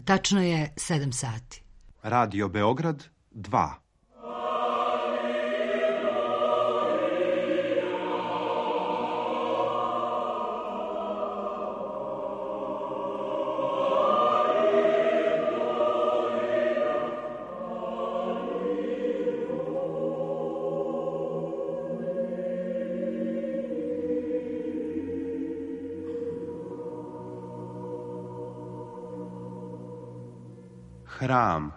Tačno je 7 sati. Radio Beograd 2. Hram.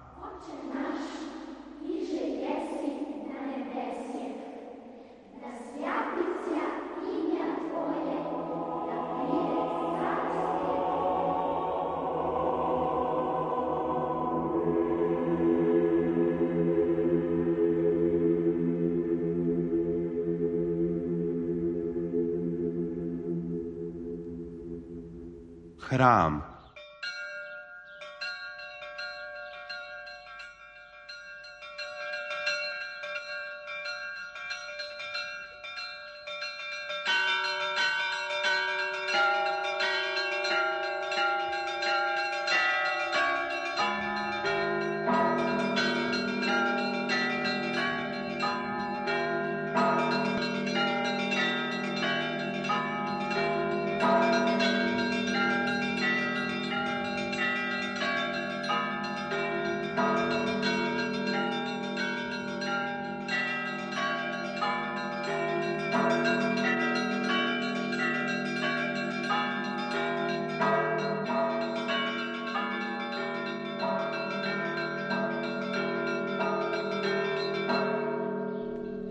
Hram.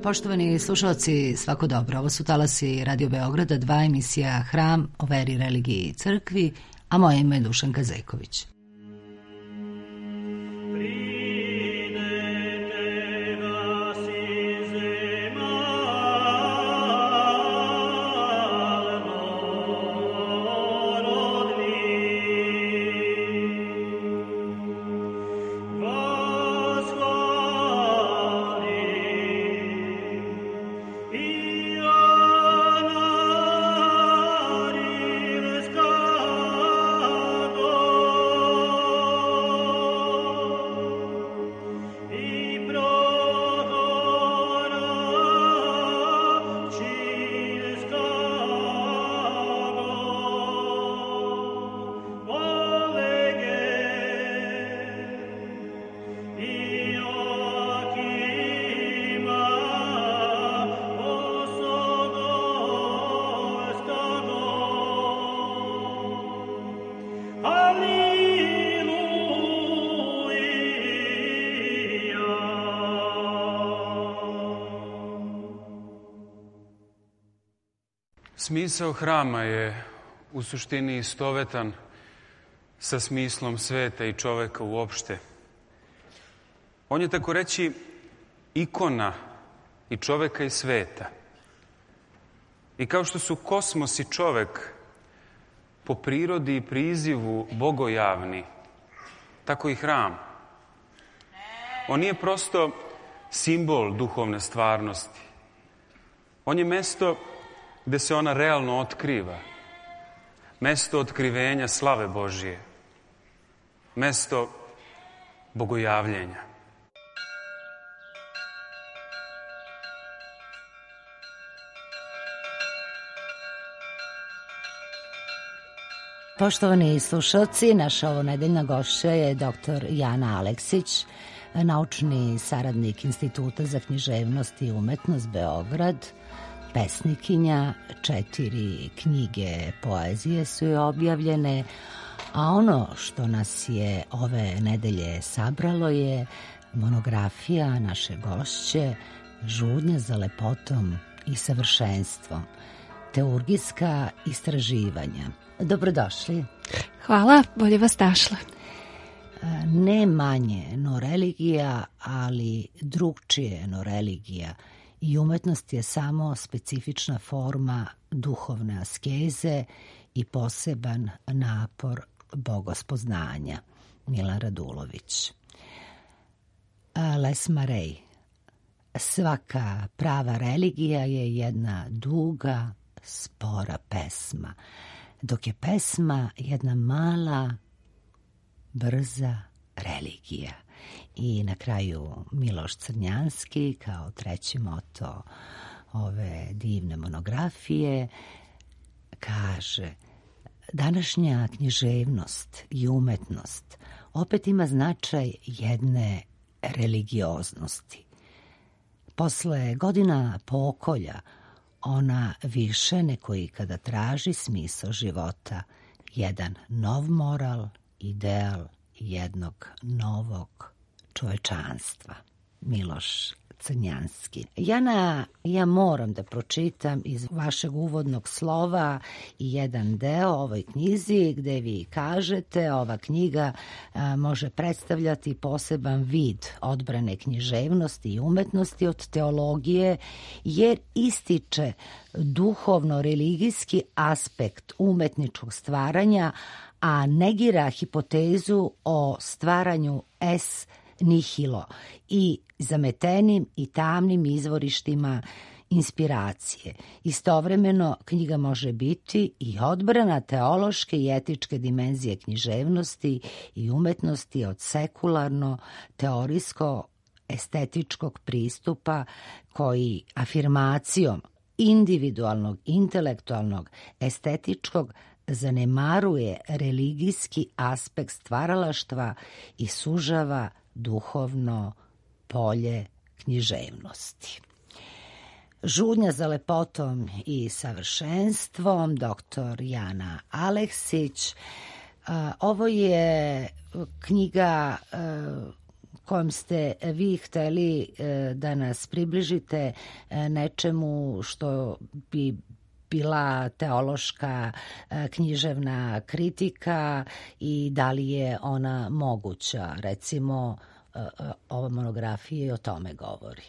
Poštovani slušalci, svako dobro. Ovo su talasi Radio Beograda 2, emisija Hram o veri, religiji i crkvi, a moje ime je Dušanka Zeković. Smisao hrama je u suštini istovetan sa smislom sveta i čoveka uopšte. On je, tako reći, ikona i čoveka i sveta. I kao što su kosmos i čovek po prirodi i prizivu bogojavni, tako i hram. On nije prosto simbol duhovne stvarnosti. On je mesto gde se ona realno otkriva. Mesto otkrivenja slave Božije. Mesto bogojavljenja. Poštovani slušalci, naša ovonedeljna gošća je dr. Jana Aleksić, naučni saradnik Instituta za književnost i umetnost Beograd, pesnikinja, 4 knjige poezije su joj objavljene, a ono što nas je ove nedelje sabralo je monografija naše gošće Žudnja za lepotom i savršenstvom, teurgijska istraživanja. Dobrodošli. Hvala, bolje vas našla. Ne manje no religija, ali drugčije no religija. I umetnost je samo specifična forma duhovne askeze i poseban napor bogospoznanja. Milan Radulović. Les Marais. Svaka prava religija je jedna duga, spora pesma, dok je pesma jedna mala, brza religija. I na kraju Miloš Crnjanski kao treći moto ove divne monografije kaže: današnja književnost i umetnost opet ima značaj jedne religioznosti. Posle godina pokolja ona više neko ikada traži smisao života, jedan nov moral, ideal jednog novog čovečanstva. Miloš Crnjanski. Ja moram da pročitam iz vašeg uvodnog slova i jedan deo ovoj knjizi gde vi kažete ova knjiga može predstavljati poseban vid odbrane književnosti i umetnosti od teologije jer ističe duhovno-religijski aspekt umetničkog stvaranja, a negira hipotezu o stvaranju es nihilo i zametenim i tamnim izvorištima inspiracije. Istovremeno, knjiga može biti i odbrana teološke i etičke dimenzije književnosti i umetnosti od sekularno-teorijsko-estetičkog pristupa koji afirmacijom individualnog, intelektualnog, estetičkog zanemaruje religijski aspekt stvaralaštva i sužava duhovno polje književnosti. Žudnja za lepotom i savršenstvom, dr. Jana Aleksić. Ovo je knjiga kojom ste vi hteli da nas približite nečemu što bi bila teološka književna kritika i da li je ona moguća. Recimo, ova monografija o tome govori.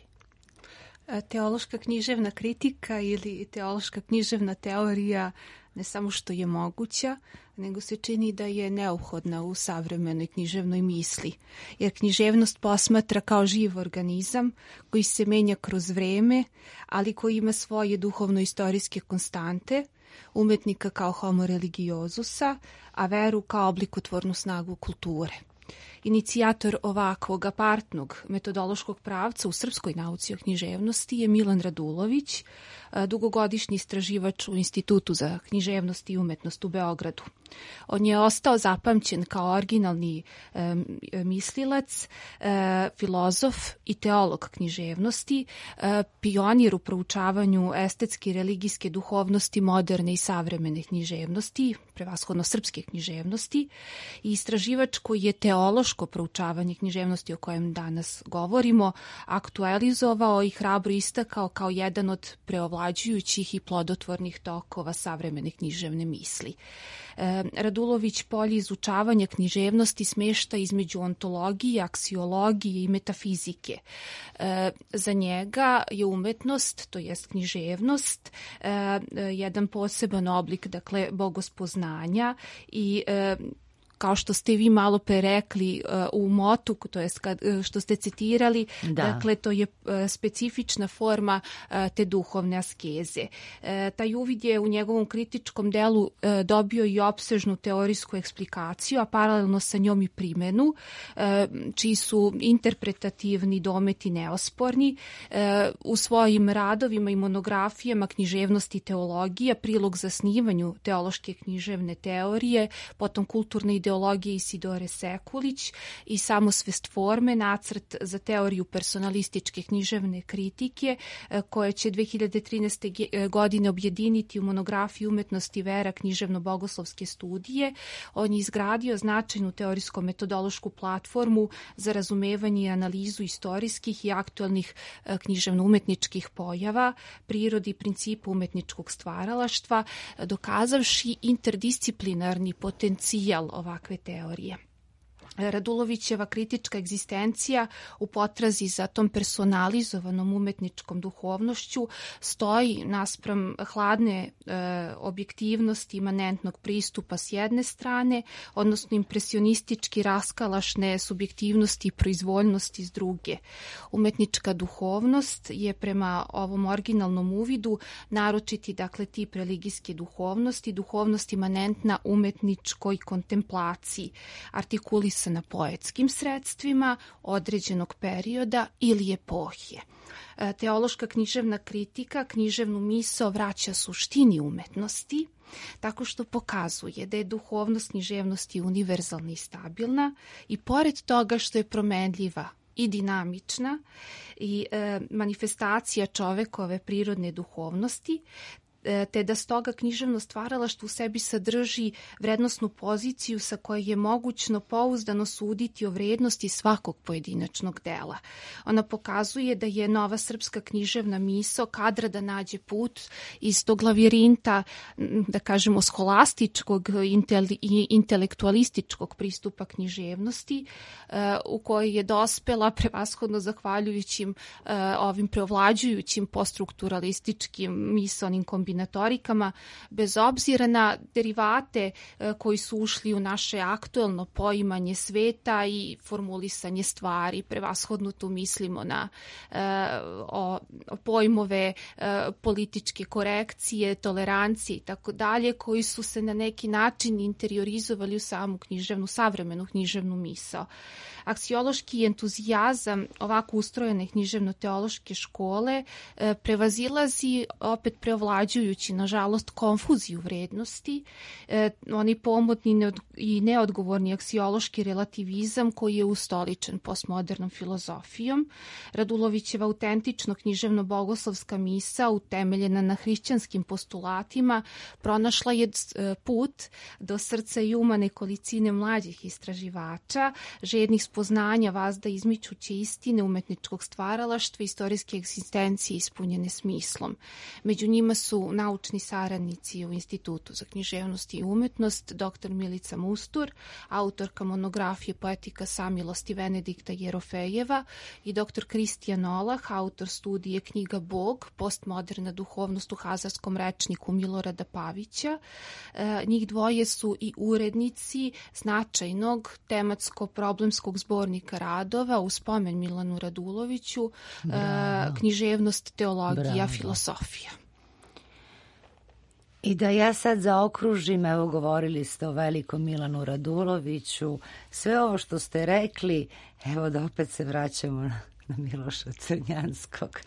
Teološka književna kritika ili teološka književna teorija ne samo što je moguća, nego se čini da je neophodna u savremenoj književnoj misli. Jer književnost posmatra kao živ organizam koji se menja kroz vreme, ali koji ima svoje duhovno-istorijske konstante, umetnika kao homo religiozusa, a veru kao oblikotvornu snagu kulture. Inicijator ovakvog apartnog metodološkog pravca u srpskoj nauci o književnosti je Milan Radulović, dugogodišnji istraživač u Institutu za književnost i umetnost u Beogradu. On je ostao zapamćen kao originalni mislilac, filozof i teolog književnosti, pionir u proučavanju estetske i religijske duhovnosti moderne i savremene književnosti, prevashodno srpske književnosti, i istraživač koji je teološko proučavanje književnosti o kojem danas govorimo aktualizovao i hrabro istakao kao jedan od preovlađujućih i plodotvornih tokova savremene književne misli. Radulović polje izučavanja književnosti smešta između ontologije, aksiologije i metafizike. Za njega je umetnost, to jest književnost, jedan poseban oblik, dakle, bogospoznanja i kao što ste vi malo pre rekli u motu, to jest što ste citirali, dakle to je specifična forma te duhovne askeze. Taj uvid je u njegovom kritičkom delu dobio i opsežnu teorijsku eksplikaciju, a paralelno sa njom i primenu, čiji su interpretativni dometi neosporni. U svojim radovima i monografijama književnosti i teologija, prilog zasnivanju teološke književne teorije, potom kulturne ideologije Isidore Sekulić i samosvest forme, nacrt za teoriju personalističke književne kritike, koje će 2013. godine objediniti u monografiji Umetnost i vera književno-bogoslovske studije. On je izgradio značajnu teorijsko-metodološku platformu za razumevanje i analizu istorijskih i aktualnih književno-umetničkih pojava, prirodi i principu umetničkog stvaralaštva, dokazavši interdisciplinarni potencijal ovakve teorije. Radulovićeva kritička egzistencija u potrazi za tom personalizovanom umetničkom duhovnošću stoji naspram hladne objektivnosti imanentnog pristupa s jedne strane, odnosno impresionistički raskalašne subjektivnosti i proizvoljnosti s druge. Umetnička duhovnost je prema ovom originalnom uvidu naročiti, dakle, tip religijske duhovnosti, duhovnost imanentna umetničkoj kontemplaciji, artikulisana pisana poetskim sredstvima određenog perioda ili epohije. Teološka književna kritika književnu misao vraća suštini umetnosti, tako što pokazuje da je duhovnost književnosti univerzalna i stabilna i pored toga što je promenljiva i dinamična i manifestacija čovekove prirodne duhovnosti, te da stoga književno stvaralaštvo u sebi sadrži vrednosnu poziciju sa koje je mogućno pouzdano suditi o vrednosti svakog pojedinačnog dela. Ona pokazuje da je nova srpska književna misao kadra da nađe put iz tog lavirinta, da kažemo, scholastičkog i intelektualističkog pristupa književnosti, u kojoj je dospela prevashodno zahvaljujućim ovim preovlađujućim poststrukturalističkim misaonim kombinatorikama, bez obzira na derivate koji su ušli u naše aktuelno poimanje sveta i formulisanje stvari. Prevashodno tu mislimo na pojmove političke korekcije, tolerancije i tako dalje, koji su se na neki način interiorizovali u samu savremenu književnu misao. Aksiološki entuzijazam ovako ustrojene književno-teološke škole prevazilazi, opet preovlađujući, nažalost, konfuziju vrednosti, oni pomodni i neodgovorni aksiološki relativizam koji je ustoličen postmodernom filozofijom. Radulovićeva autentično književno-bogoslovska misa, utemeljena na hrišćanskim postulatima, pronašla je put do srca i uma nekolicine mlađih istraživača, žednih spoznanja vazda izmičuće istine umetničkog stvaralaštva, istorijske egzistencije ispunjene smislom. Među njima su naučni saradnici u Institutu za književnost i umetnost, dr. Milica Mustur, autorka monografije Poetika samilosti Venedikta Jerofejeva, i dr. Kristijan Olah, autor studije knjiga Bog, postmoderna duhovnost u hazarskom rečniku Milorada Pavića. Njih dvoje su i urednici značajnog tematsko-problemskog zbornika radova u spomen Milanu Raduloviću, književnost, teologija, filosofija. I da ja sad zaokružim, evo govorili ste o velikom Milanu Raduloviću, sve ovo što ste rekli, evo da opet se vraćamo na Miloša Crnjanskog.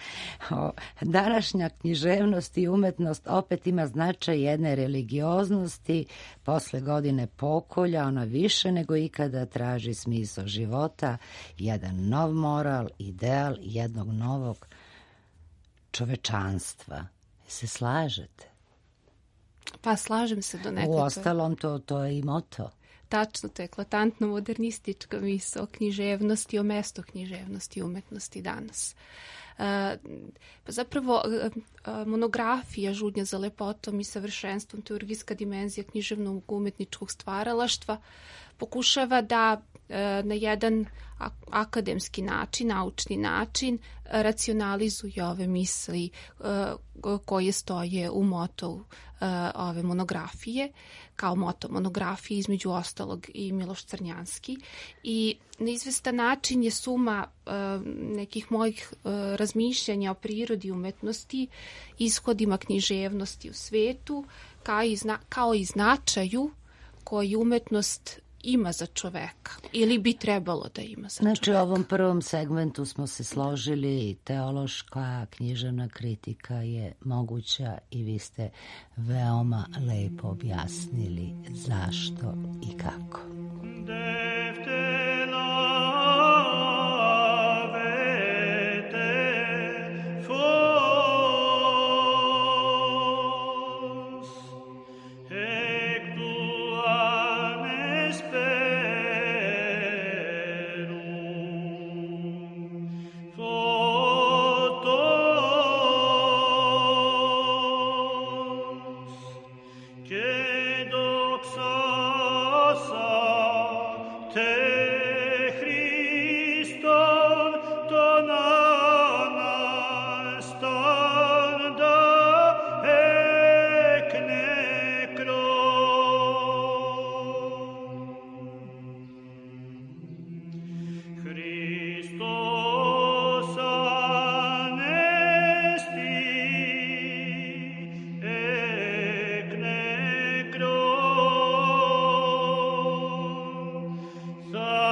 Današnja književnost i umetnost opet ima značaj jedne religioznosti, posle godine pokolja ona više nego ikada traži smisao života, jedan nov moral, ideal jednog novog čovečanstva. Se slažete? Pa slažem se do nekako. Uostalom to je i moto. Tačno, to je eklatantno modernistička misao o književnosti, o mestu književnosti i umetnosti danas. Pa zapravo monografija Žudnja za lepotom i savršenstvom, teorijska dimenzija književnog umetničkog stvaralaštva, pokušava da na jedan akademski način, naučni način racionalizuje ove misli koje stoje u motu ove monografije, kao moto monografije između ostalog i Miloš Crnjanski, i na izvestan način je suma nekih mojih razmišljanja o prirodi umetnosti, ishodima književnosti u svetu, kao i značaju koji umetnost ima za čoveka ili bi trebalo da ima za čoveka. Znači, u ovom prvom segmentu smo se složili, teološka književna kritika je moguća i vi ste veoma lepo objasnili zašto i kako. So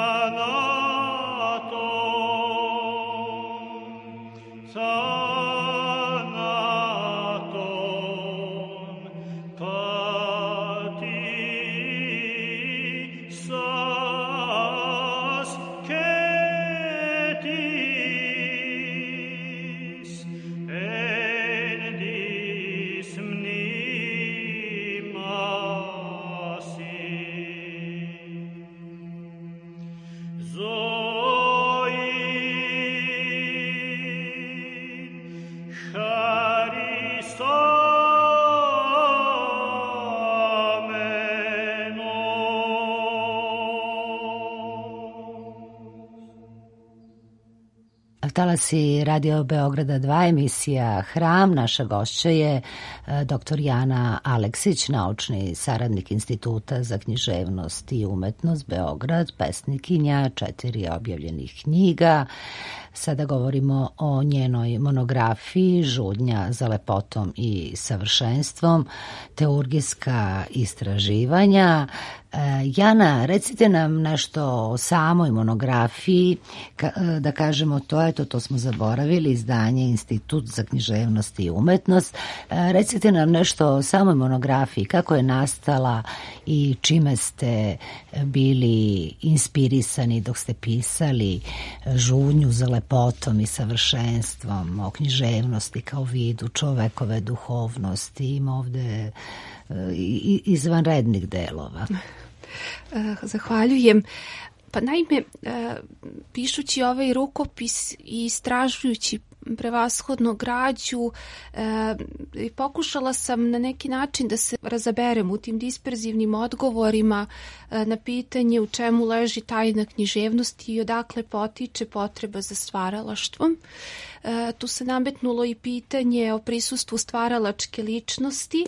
Talasi Radio Beograda 2, emisija Hram. Naša gošća je dr. Jana Aleksić, naučni saradnik Instituta za književnost i umetnost Beograd, pesnikinja 4 objavljenih knjiga. Sada govorimo o njenoj monografiji Žudnja za lepotom i savršenstvom, teurgijska istraživanja. Jana, recite nam nešto o samoj monografiji, da kažemo to smo zaboravili, izdanje Institut za književnost i umetnost. Recite nam nešto o samoj monografiji, kako je nastala i čime ste bili inspirisani dok ste pisali Žudnju za lepotom i savršenstvom, o književnosti kao vidu čovekove duhovnosti. Ima ovde izvanrednih delova. Zahvaljujem. Pa naime, pišući ovaj rukopis i istražujući prevashodno građu, pokušala sam na neki način da se razaberem u tim disperzivnim odgovorima na pitanje u čemu leži tajna književnosti i odakle potiče potreba za stvaralaštvom. Tu se nametnulo i pitanje o prisustvu stvaralačke ličnosti,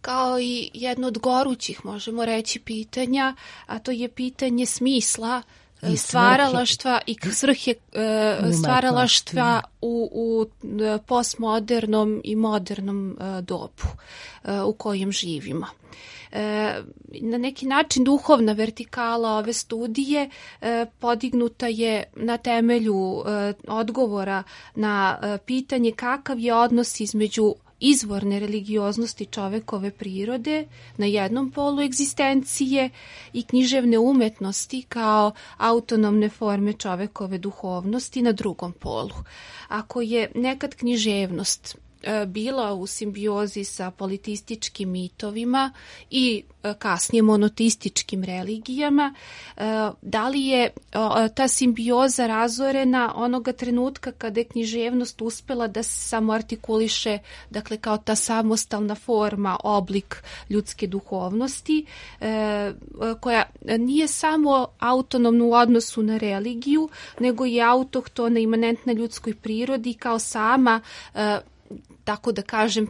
kao i jedno od gorućih, možemo reći, pitanja, a to je pitanje smisla i stvaralaštva i svrhe stvaralaštva u postmodernom i modernom dobu u kojem živimo. Na neki način duhovna vertikala ove studije podignuta je na temelju odgovora na pitanje kakav je odnos između izvorne religioznosti čovekove prirode na jednom polu egzistencije i književne umetnosti kao autonomne forme čovekove duhovnosti na drugom polu. Ako je nekad književnost bila u simbiozi sa politističkim mitovima i kasnije monoteističkim religijama, da li je ta simbioza razorena onoga trenutka kada je književnost uspela da se samoartikuliše, dakle kao ta samostalna forma, oblik ljudske duhovnosti, koja nije samo autonomna u odnosu na religiju, nego je autohtona, imanentna ljudskoj prirodi kao sama, tako da kažem,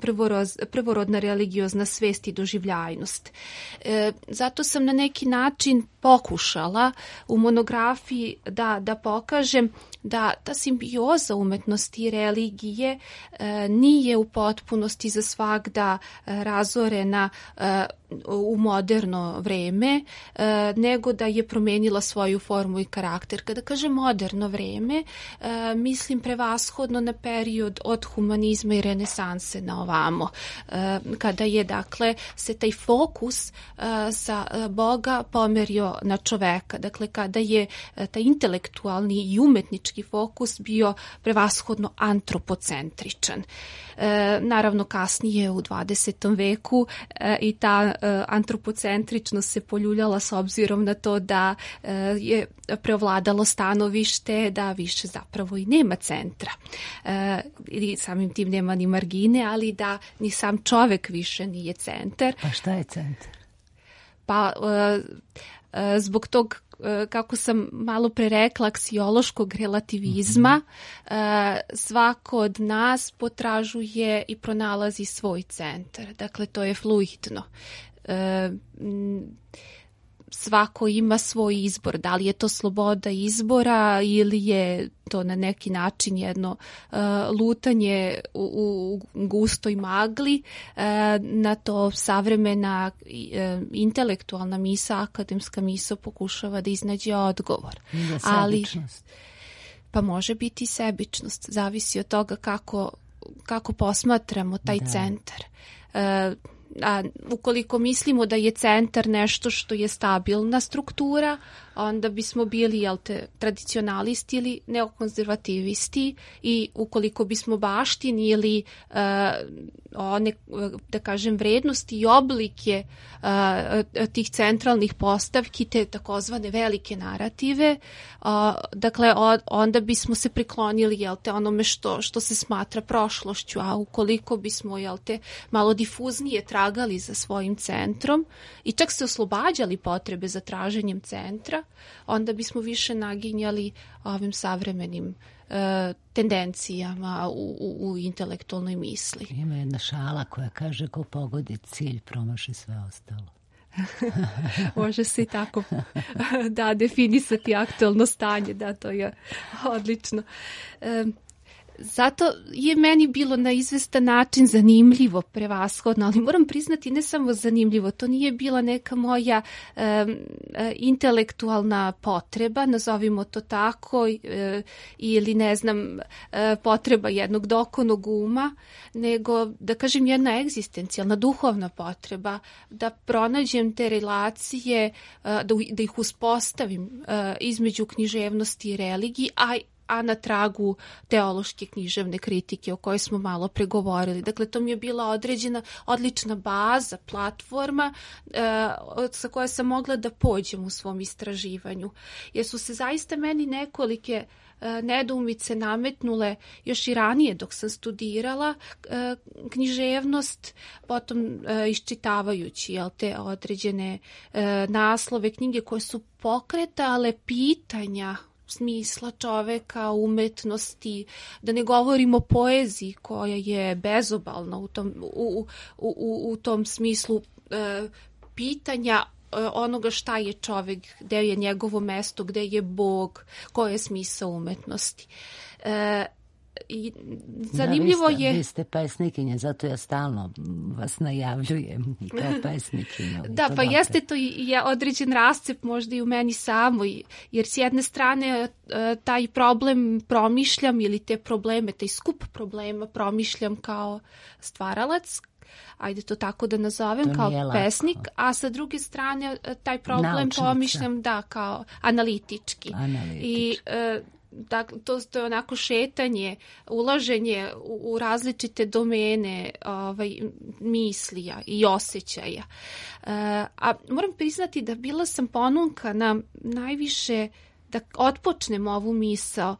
prvorodna religiozna svest i doživljajnost. Zato sam na neki način pokušala u monografiji da pokažem da ta simbioza umetnosti i religije nije u potpunosti za svagda razorena u moderno vreme, nego da je promenila svoju formu i karakter. Kada kažem moderno vreme, mislim prevashodno na period od humanizma i renesanse na ovamo, kada je, dakle, se taj fokus sa Boga pomerio na čoveka, dakle, kada je taj intelektualni i umetnički fokus bio prevashodno antropocentričan. Naravno, kasnije u 20. veku i ta antropocentričnost se poljuljala s obzirom na to da je preovladalo stanovište da više zapravo i nema centra. I samim tim nema ni margine, ali da ni sam čovek više nije centar. Pa šta je centar? Pa zbog tog, kako sam malo pre rekla, aksiološkog relativizma, svako od nas potražuje i pronalazi svoj centar. Dakle, to je fluidno. Svako ima svoj izbor. Da li je to sloboda izbora ili je to na neki način jedno lutanje u gustoj magli, na to savremena intelektualna misa, akademska misa pokušava da iznađe odgovor. Ali pa može biti sebičnost, zavisi od toga kako posmatramo taj centar. ukoliko mislimo da je centar nešto što je stabilna struktura, onda bismo bili tradicionalisti ili neokonzervativisti, i ukoliko bismo baštinili one, da kažem, vrednosti i oblike tih centralnih postavki, te takozvane velike narative, dakle onda bismo se priklonili onome što se smatra prošlošću, a ukoliko bismo malo difuznije tragali za svojim centrom i čak se oslobađali potrebe za traženjem centra, onda bismo više naginjali ovim savremenim tendencijama u intelektualnoj misli. Ima jedna šala koja kaže ko pogodi cilj promaši sve ostalo. Može se i tako definisati aktualno stanje, to je odlično. Zato je meni bilo na izvestan način zanimljivo, prevashodno, ali moram priznati ne samo zanimljivo, to nije bila neka moja intelektualna potreba, nazovimo to tako, ili ne znam, potreba jednog dokonog uma, nego, da kažem, jedna egzistencijalna, duhovna potreba, da pronađem te relacije, da ih uspostavim između književnosti i religiji, a na tragu teološke književne kritike o kojoj smo malo pregovorili. Dakle, to mi je bila odlična baza, platforma sa koje sam mogla da pođem u svom istraživanju. Jer su se zaista meni nekolike nedoumice nametnule još i ranije dok sam studirala književnost, potom iščitavajući te određene naslove knjige koje su pokretale pitanja smisla čoveka, umetnosti, da ne govorimo o poeziji koja je bezobalna u tom smislu pitanja onoga šta je čovek, gde je njegovo mesto, gde je Bog, koji je smisao umetnosti. I zanimljivo je... Vi ste pesnikinja, zato ja stalno vas najavljujem kao pesnikinju. Da, pa jeste, to je određen rascep možda i u meni samoj, jer s jedne strane taj problem promišljam, ili te probleme, taj skup problema promišljam kao stvaralac, ajde to tako da nazovem, kao pesnik, a sa druge strane taj problem promišljam kao analitički. I dakle, to je onako šetanje, ulaženje u različite domene mislija i osjećaja. A moram priznati da bila sam ponunkana najviše da otpočnem ovu misao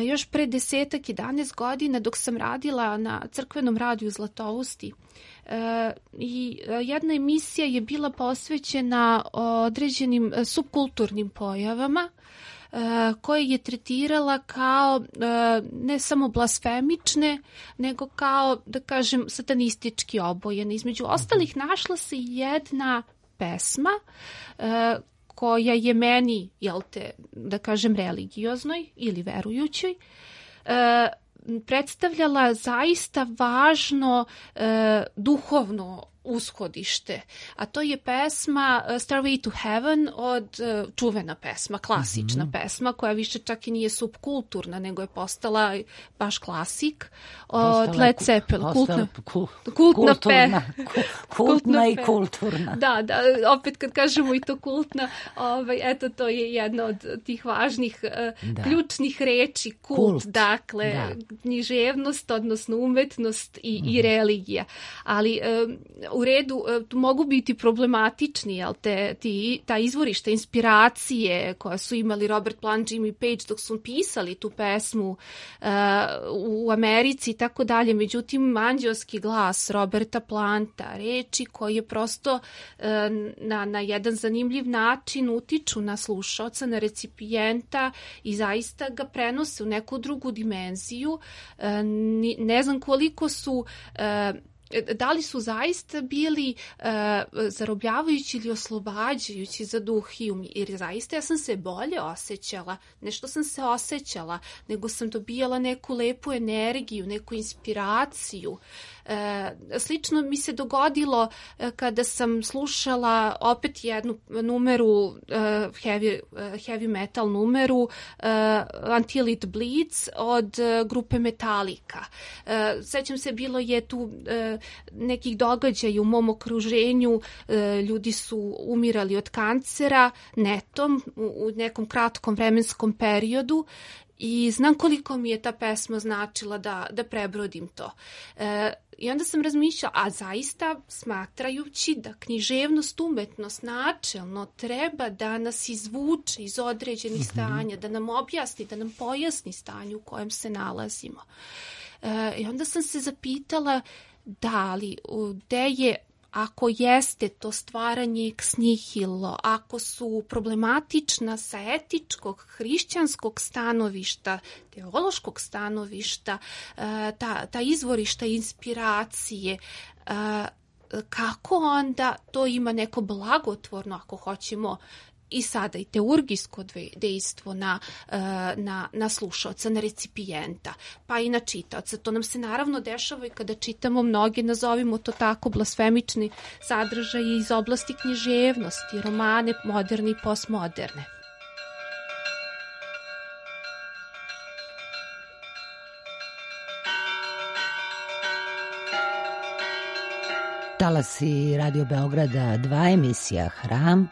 još pre 10-11 godina dok sam radila na crkvenom radiju Zlatousti. I jedna emisija je bila posvećena određenim subkulturnim pojavama koje je tretirala kao ne samo blasfemične, nego kao, da kažem, satanistički obojene. Između ostalih našla se jedna pesma koja je meni, da kažem, religioznoj ili verujućoj, predstavljala zaista važno duhovno ushodište, a to je pesma Stairway to Heaven čuvena pesma, klasična pesma, koja više čak i nije subkulturna, nego je postala baš klasik od Led Zeppelin. Kultna i kulturna. Da, opet kad kažemo i to kultna, eto, to je jedna od tih važnih ključnih reči, kult, dakle, književnost, odnosno umetnost i religija. Ali u redu, tu mogu biti problematični, ta izvorišta inspiracije koja su imali Robert Plant, Jimmy Page dok su pisali tu pesmu u Americi i tako dalje. Međutim, anđelski glas Roberta Planta, reči koje prosto na jedan zanimljiv način utiču na slušaoca, na recipijenta i zaista ga prenose u neku drugu dimenziju. Ne znam koliko su... Da li su zaista bili zarobljavajući ili oslobađajući za duh i um, jer zaista ja sam se bolje osjećala, ne što sam se osjećala, nego sam dobijala neku lepu energiju, neku inspiraciju. Slično mi se dogodilo kada sam slušala opet jednu numeru, heavy metal numeru, Until It Bleeds od grupe Metallica. Sećam se, bilo je tu nekih događaja u mom okruženju, ljudi su umirali od kancera netom u nekom kratkom vremenskom periodu i znam koliko mi je ta pesma značila da prebrodim to. I onda sam razmišljala, a zaista smatrajući da književnost, umetnost načelno treba da nas izvuče iz određenih stanja, da nam objasni, da nam pojasni stanje u kojem se nalazimo. I onda sam se zapitala da li, gde je, ako jeste to stvaranje ex nihilo, ako su problematična sa etičkog, hrišćanskog stanovišta, teološkog stanovišta, ta izvorišta inspiracije, kako onda to ima neko blagotvorno, ako hoćemo, i sada i teurgijsko dejstvo na slušaoca, na recipijenta, pa i na čitaoca. To nam se naravno dešava i kada čitamo mnoge, nazovimo to tako, blasfemični sadržaje iz oblasti književnosti, romane moderne i postmoderne. Talasi Radio Beograda 2, emisija Hram,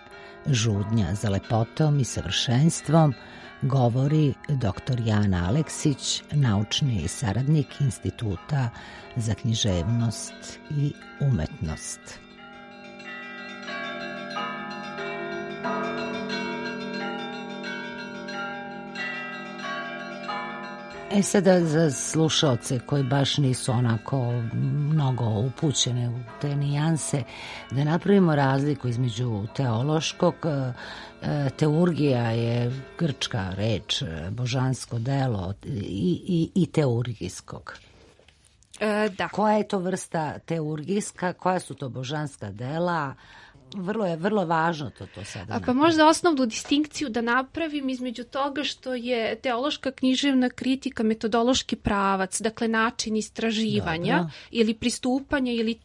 žudnja za lepotom i savršenstvom, govori dr. Jana Aleksić, naučni saradnik Instituta za književnost i umetnost. Sada za slušaoce koji baš nisu onako mnogo upućene u te nijanse, da napravimo razliku između teološkog, teurgija je grčka reč, božansko delo, i teurgijskog. Da. Koja je to vrsta teurgijska, koja su to božanska dela? Vrlo važno to sada. Pa možda osnovnu distinkciju da napravim između toga što je teološka književna kritika metodološki pravac, dakle način istraživanja ili pristupanja ili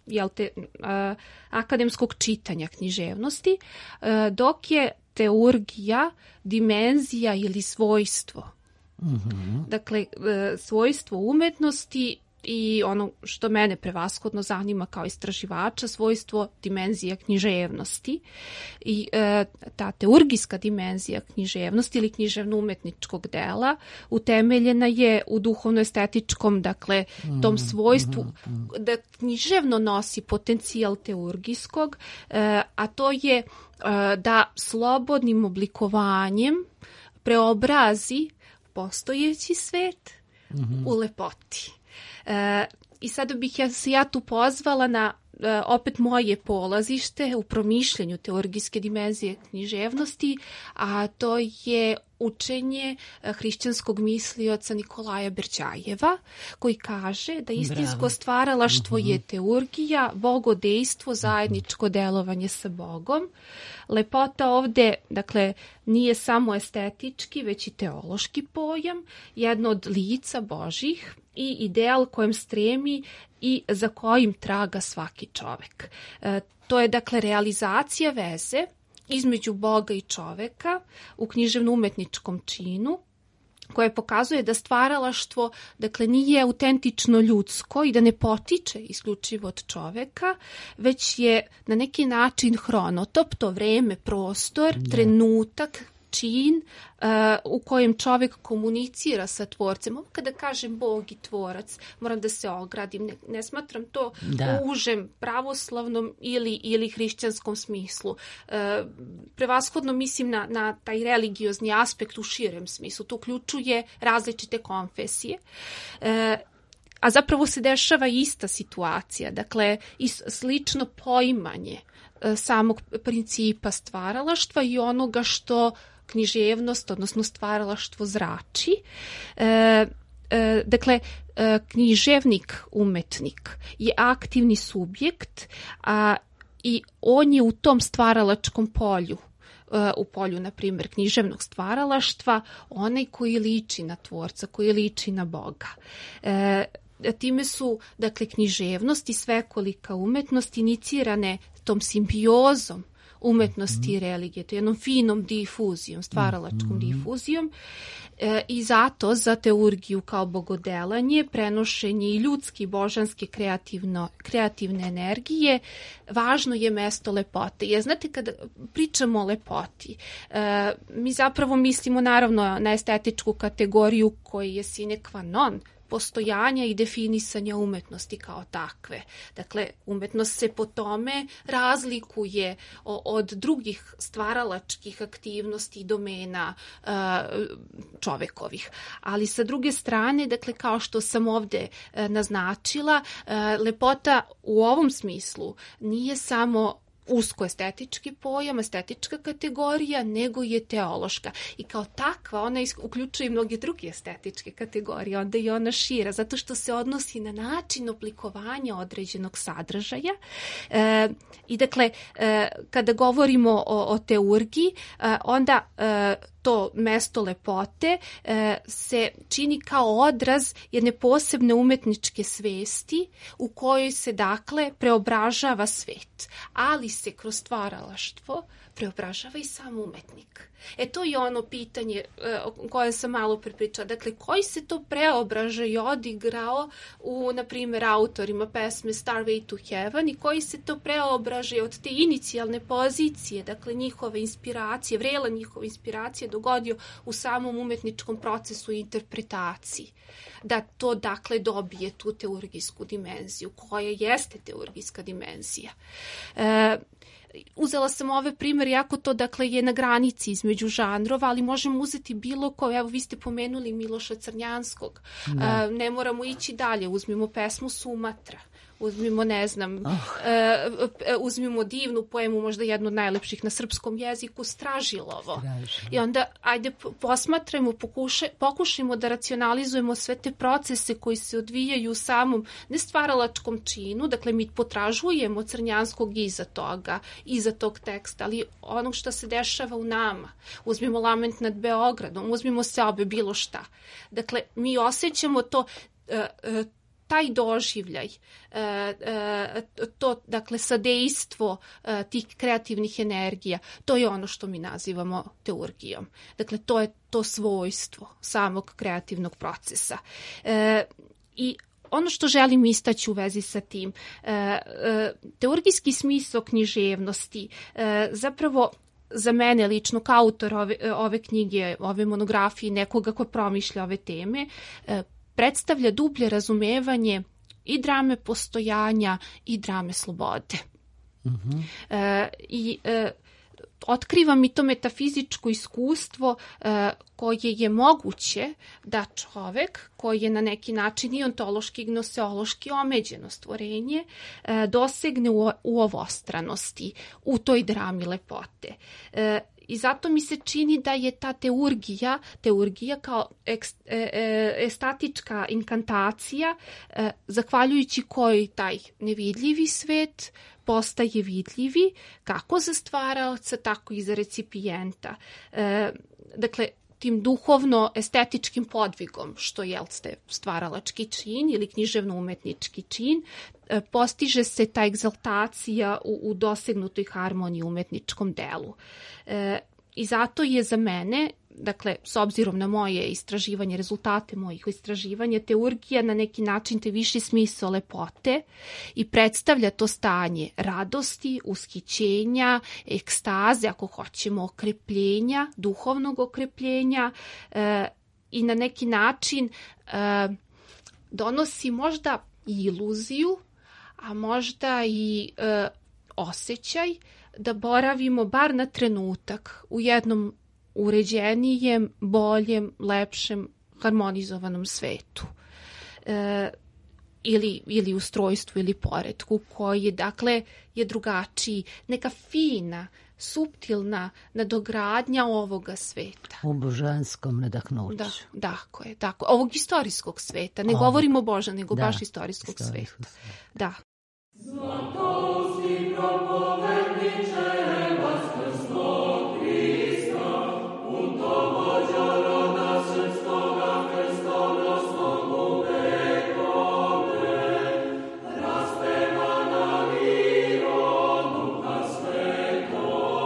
akademskog čitanja književnosti, dok je teurgija dimenzija ili svojstvo. Dakle, svojstvo umetnosti i ono što mene prevashodno zanima kao istraživača, svojstvo dimenzija književnosti. I ta teurgijska dimenzija književnosti ili književno-umetničkog dela utemeljena je u duhovno-estetičkom, dakle, tom svojstvu da književno nosi potencijal teurgijskog, a to je da slobodnim oblikovanjem preobrazi postojeći svet u lepoti. I sada bih ja tu pozvala na opet moje polazište u promišljanju teurgijske dimenzije književnosti, a to je učenje hrišćanskog mislioca Nikolaja Berđajeva, koji kaže da istinsko stvaralaštvo je teurgija, bogodejstvo, zajedničko delovanje sa Bogom. Lepota ovde, dakle, nije samo estetički, već i teološki pojam, jedno od lica Božih i ideal kojem stremi i za kojim traga svaki čovek. To je, dakle, realizacija veze između Boga i čoveka u književno-umetničkom činu, koje pokazuje da stvaralaštvo, dakle, nije autentično ljudsko i da ne potiče isključivo od čoveka, već je na neki način hronotop, to vreme, prostor, trenutak, čin u kojem čovek komunicira sa tvorcem. Kada kažem Bog i tvorac, moram da se ogradim. Ne smatram to u užem pravoslavnom ili hrišćanskom smislu. Prevashodno mislim na taj religiozni aspekt u širem smislu. To uključuje različite konfesije. A zapravo se dešava ista situacija. Dakle, slično poimanje samog principa stvaralaštva i onoga što književnost, odnosno stvaralaštvo zrači. Dakle, književnik, umetnik je aktivni subjekt i on je u tom stvaralačkom polju, u polju, na primjer, književnog stvaralaštva, onaj koji liči na tvorca, koji liči na Boga. Time su, dakle, književnost i svekolika umetnost inicirane tom simbiozom umetnosti i religije, to je jednom finom difuzijom, stvaralačkom difuzijom. I zato za teurgiju kao bogodelanje, prenošenje i ljudske i božanske kreativne energije, važno je mesto lepote. Jer znate, kada pričamo o lepoti, mi zapravo mislimo naravno na estetičku kategoriju koja je sine qua non postojanja i definisanja umetnosti kao takve. Dakle, umetnost se po tome razlikuje od drugih stvaralačkih aktivnosti i domena čovekovih. Ali sa druge strane, dakle, kao što sam ovde naznačila, lepota u ovom smislu nije samo usko estetički pojam, estetička kategorija, nego je teološka. I kao takva ona uključuje i mnoge druge estetičke kategorije, onda je ona šira, zato što se odnosi na način oblikovanja određenog sadržaja. I dakle, kada govorimo o teurgiji, onda to mesto lepote se čini kao odraz jedne posebne umetničke svesti u kojoj se dakle preobražava svet, ali se kroz stvaralaštvo preobražava i sam umetnik. To je ono pitanje koje sam malo prepričala. Dakle, koji se to preobražaj odigrao u, na primjer, autorima pesme Starway to Heaven i koji se to preobražaj od te inicijalne pozicije, dakle njihove inspiracije, vrela njihove inspiracije dogodio u samom umetničkom procesu i interpretaciji. Da to, dakle, dobije tu teurgijsku dimenziju, koja jeste teurgijska dimenzija. Uzela sam ove primjer, jako to, dakle, je na granici između žanrova, ali možemo uzeti bilo koje. Evo, vi ste pomenuli Miloša Crnjanskog. Ne moramo ići dalje. Uzmimo pesmu Sumatra. Uzmimo, ne znam, uzmimo divnu poemu, možda jednu od najlepših na srpskom jeziku, Stražilovo. I onda, ajde, posmatrajmo, pokušajmo da racionalizujemo sve te procese koji se odvijaju u samom nestvaralačkom činu. Dakle, mi potražujemo Crnjanskog iza tog teksta, ali onog što se dešava u nama. Uzmimo Lament nad Beogradom, uzmimo Seobe, bilo šta. Dakle, mi osjećamo to, taj doživljaj, to, dakle, sadejstvo tih kreativnih energija, to je ono što mi nazivamo teurgijom. Dakle, to je to svojstvo samog kreativnog procesa. I ono što želim istaći u vezi sa tim, teurgijski smisao književnosti zapravo za mene lično kao autor ove knjige, ove monografije, nekoga ko promišlja ove teme, predstavlja dublje razumevanje i drame postojanja i drame slobode. I otkriva mi to metafizičko iskustvo koje je moguće da čovek koji je na neki način i ontološki i gnoseološki omeđeno stvorenje dosegne u ovostranosti, u toj drami lepote. I zato mi se čini da je ta teurgija kao estatička inkantacija, zahvaljujući kojoj taj nevidljivi svet postaje vidljivi kako za stvaraoca, tako i za recipijenta. Dakle, tim duhovno-estetičkim podvigom, što je stvaralački čin ili književno-umetnički čin, postiže se ta egzaltacija u dosegnutoj harmoniji umetničkom delu. I zato je za mene, dakle, s obzirom na moje istraživanje, rezultate mojih istraživanja, teurgija na neki način te viši smisao lepote i predstavlja to stanje radosti, ushićenja, ekstaze, ako hoćemo, okrepljenja, duhovnog okrepljenja i na neki način donosi možda i iluziju, a možda i osjećaj da boravimo bar na trenutak u jednom uređenijem, boljem, lepšem, harmonizovanom svetu. Ili ustrojstvu ili poretku koji je, dakle, je drugačiji, neka fina, suptilna nadogradnja ovoga sveta. U božanskom nadahnuću. Da, tako. Ovog istorijskog sveta. Ne govorimo Boža, nego baš istorijskog sveta. Da. Zlatovski propovedniče, Vaskrsnog Hrista, putovođa roda srpskoga, krstonosnog u vekove, raspevana lirom Duha Svetog.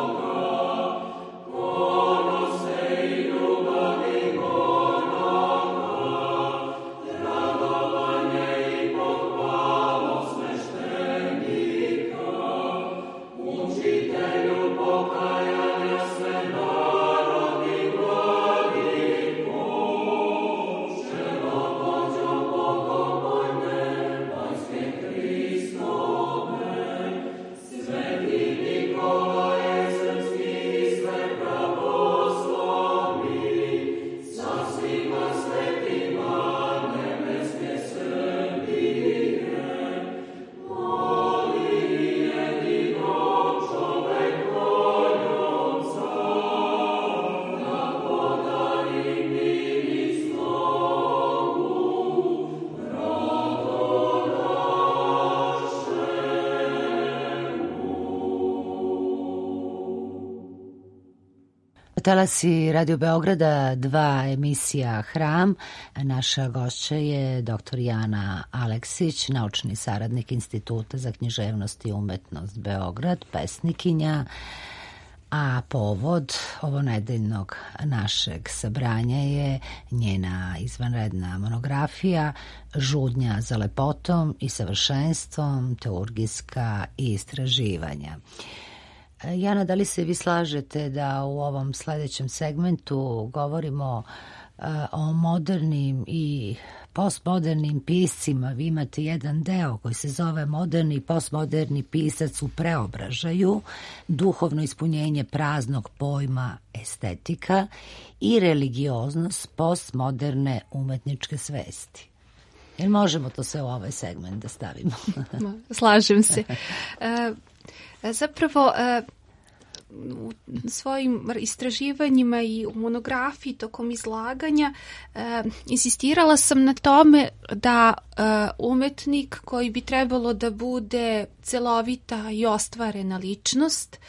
talasi Radio Beograda 2 emisija Hram. Naša gošća je dr. Jana Aleksić, naučni saradnik Instituta za književnost i umetnost Beograd, pesnikinja. A povod ovonedeljnog našeg sabranja je njena izvanredna monografija Žudnja za lepotom i savršenstvom, teurgijska istraživanja. Jana, da li se vi slažete da u ovom sledećem segmentu govorimo o modernim i postmodernim piscima? Vi imate jedan deo koji se zove Moderni i postmoderni pisac u preobražaju, duhovno ispunjenje praznog pojma estetika i religioznost postmoderne umetničke svesti. Jel možemo to sve u ovaj segment da stavimo? Slažem se. Zapravo, u svojim istraživanjima i u monografiji tokom izlaganja insistirala sam na tome da umetnik koji bi trebalo da bude celovita i ostvarena ličnost,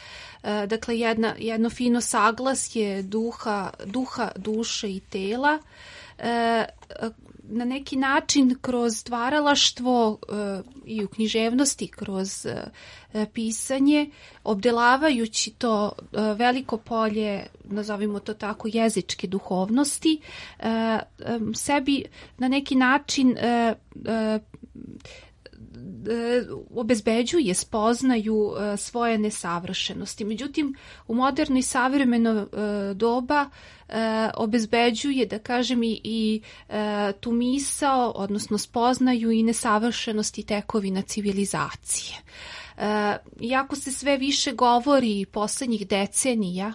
dakle jedno fino saglasje duha, duše i tela, na neki način kroz stvaralaštvo i u književnosti, kroz pisanje, obdelavajući to veliko polje, nazovimo to tako, jezičke duhovnosti, sebi na neki način obezbeđuje, spoznaju svoje nesavršenosti. Međutim, u moderno i savremeno doba obezbeđuje, da kažem, i tu misao, odnosno spoznaju i nesavršenosti tekovina civilizacije. Iako se sve više govori poslednjih decenija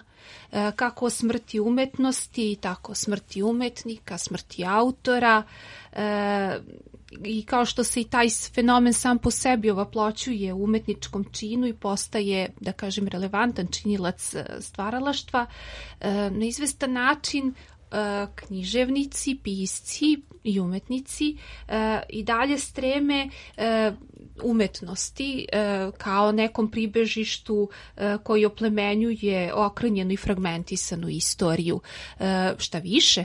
kako o smrti umetnosti, tako o smrti umetnika, smrti autora, i kao što se i taj fenomen sam po sebi ovaploćuje u umetničkom činu i postaje, da kažem, relevantan činilac stvaralaštva, na izvestan način književnici, pisci i umetnici i dalje streme umetnosti kao nekom pribežištu koji oplemenjuje okrnjenu i fragmentisanu istoriju. Šta više,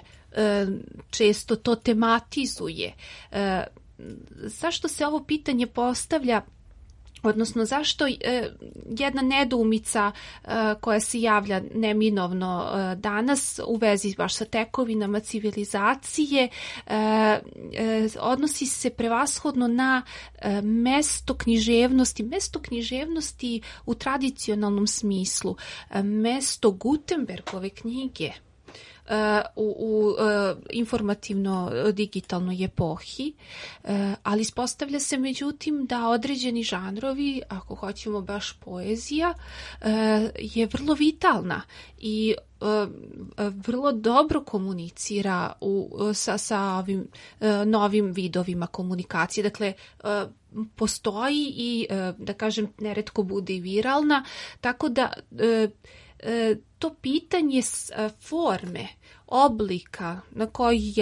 često to tematizuje. Zašto se ovo pitanje postavlja? Odnosno, zašto jedna nedoumica koja se javlja neminovno danas u vezi baš sa tekovinama civilizacije odnosi se prevashodno na mesto književnosti u tradicionalnom smislu, mesto Gutenbergove knjige u informativno-digitalnoj epohi, ali ispostavlja se međutim da određeni žanrovi, ako hoćemo baš poezija, je vrlo vitalna i vrlo dobro komunicira sa ovim novim vidovima komunikacije. Dakle, postoji i, da kažem, neretko bude i viralna, tako da to pitanje forme, oblika na koji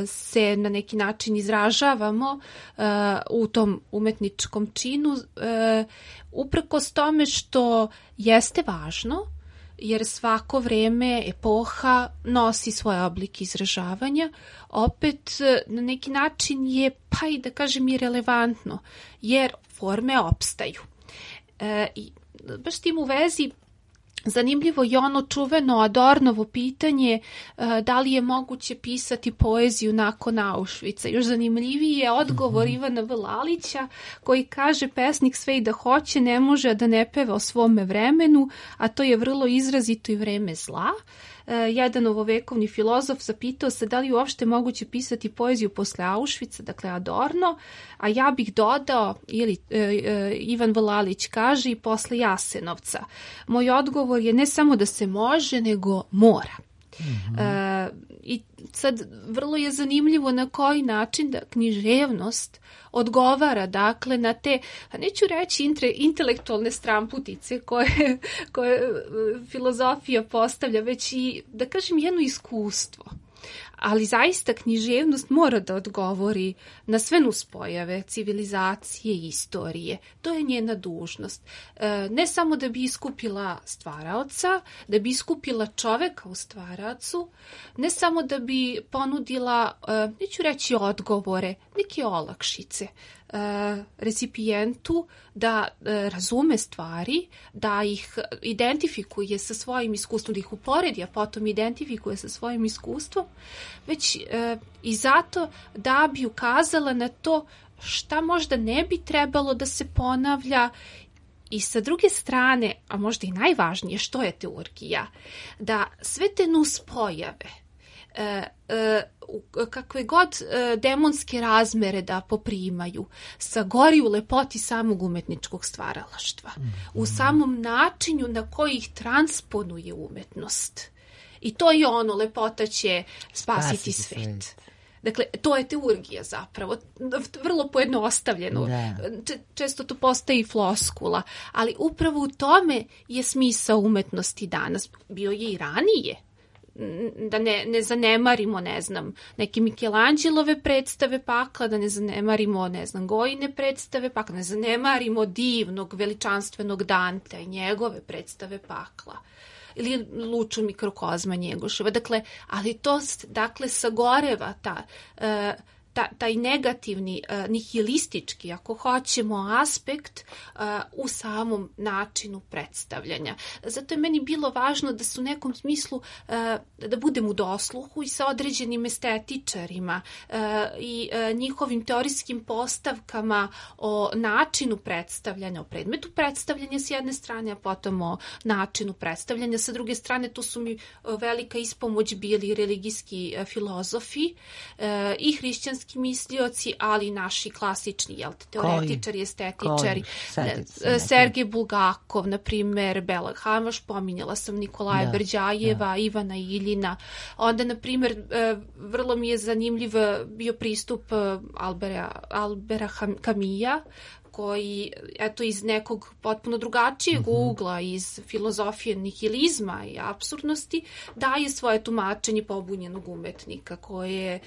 se na neki način izražavamo u tom umetničkom činu, uprkos tome što jeste važno, jer svako vreme, epoha nosi svoje oblike izražavanja, opet na neki način je, pa i da kažem, i relevantno, jer forme opstaju. I baš s tim u vezi zanimljivo je ono čuveno Adornovo pitanje da li je moguće pisati poeziju nakon Auschwitza. Još zanimljiviji je odgovor Ivana V. Lalića koji kaže: pesnik sve i da hoće ne može da ne peva o svome vremenu, a to je vrlo izrazito i vreme zla. Jedan ovovekovni filozof zapitao se da li je uopšte moguće pisati poeziju posle Auschwitza, dakle Adorno, a ja bih dodao, ili Ivan V. Lalić kaže, i posle Jasenovca. Moj odgovor je ne samo da se može, nego mora. I sad vrlo je zanimljivo na koji način da književnost odgovara, dakle, na te, neću reći intelektualne stramputice koje filozofija postavlja, već i, da kažem, jedno iskustvo. Ali zaista književnost mora da odgovori na sve nuspojave civilizacije i istorije. To je njena dužnost. Ne samo da bi iskupila stvaraoca, da bi iskupila čoveka u stvaraocu, ne samo da bi ponudila, neću reći odgovore, neke olakšice recipijentu da razume stvari, da ih identifikuje sa svojim iskustvom, da ih uporedi, a potom identifikuje sa svojim iskustvom, već i zato da bi ukazala na to šta možda ne bi trebalo da se ponavlja. I sa druge strane, a možda i najvažnije, što je teurgija, da sve te nuspojave, kakve god demonske razmere da poprimaju, sagori u lepoti samog umetničkog stvaralaštva, u samom načinu na koji ih transponuje umetnost. I to je ono, lepota će spasiti svet. Dakle, to je teurgija zapravo, vrlo pojednostavljeno. Često to postaje i floskula, ali upravo u tome je smisao umetnosti danas. Bio je i ranije. Da ne zanemarimo, neke Michelangelo predstave pakla, da ne zanemarimo, Gojine predstave pakla, ne zanemarimo divnog, veličanstvenog Dantea i njegove predstave pakla. Ili Luču mikrokozma Njegoševa. Dakle, ali to, sagoreva taj negativni, nihilistički, ako hoćemo, aspekt u samom načinu predstavljanja. Zato je meni bilo važno da se u nekom smislu, da budem u dosluhu i sa određenim estetičarima i njihovim teorijskim postavkama o načinu predstavljanja, o predmetu predstavljanja s jedne strane, a potom o načinu predstavljanja. Sa druge strane, tu su mi velika ispomoć bili religijski filozofi i hrišćanski mislioci, ali i naši klasični teoretičari, estetičari. Sergej Bulgakov, na primjer, Bela Hamvaš, pominjala sam Nikolaja Berđajeva, Ivana Iljina. Onda, na primjer, vrlo mi je zanimljiv bio pristup Albera Camilla, koji, iz nekog potpuno drugačijeg ugla, iz filozofije nihilizma i apsurdnosti, daje svoje tumačenje pobunjenog umetnika, koje je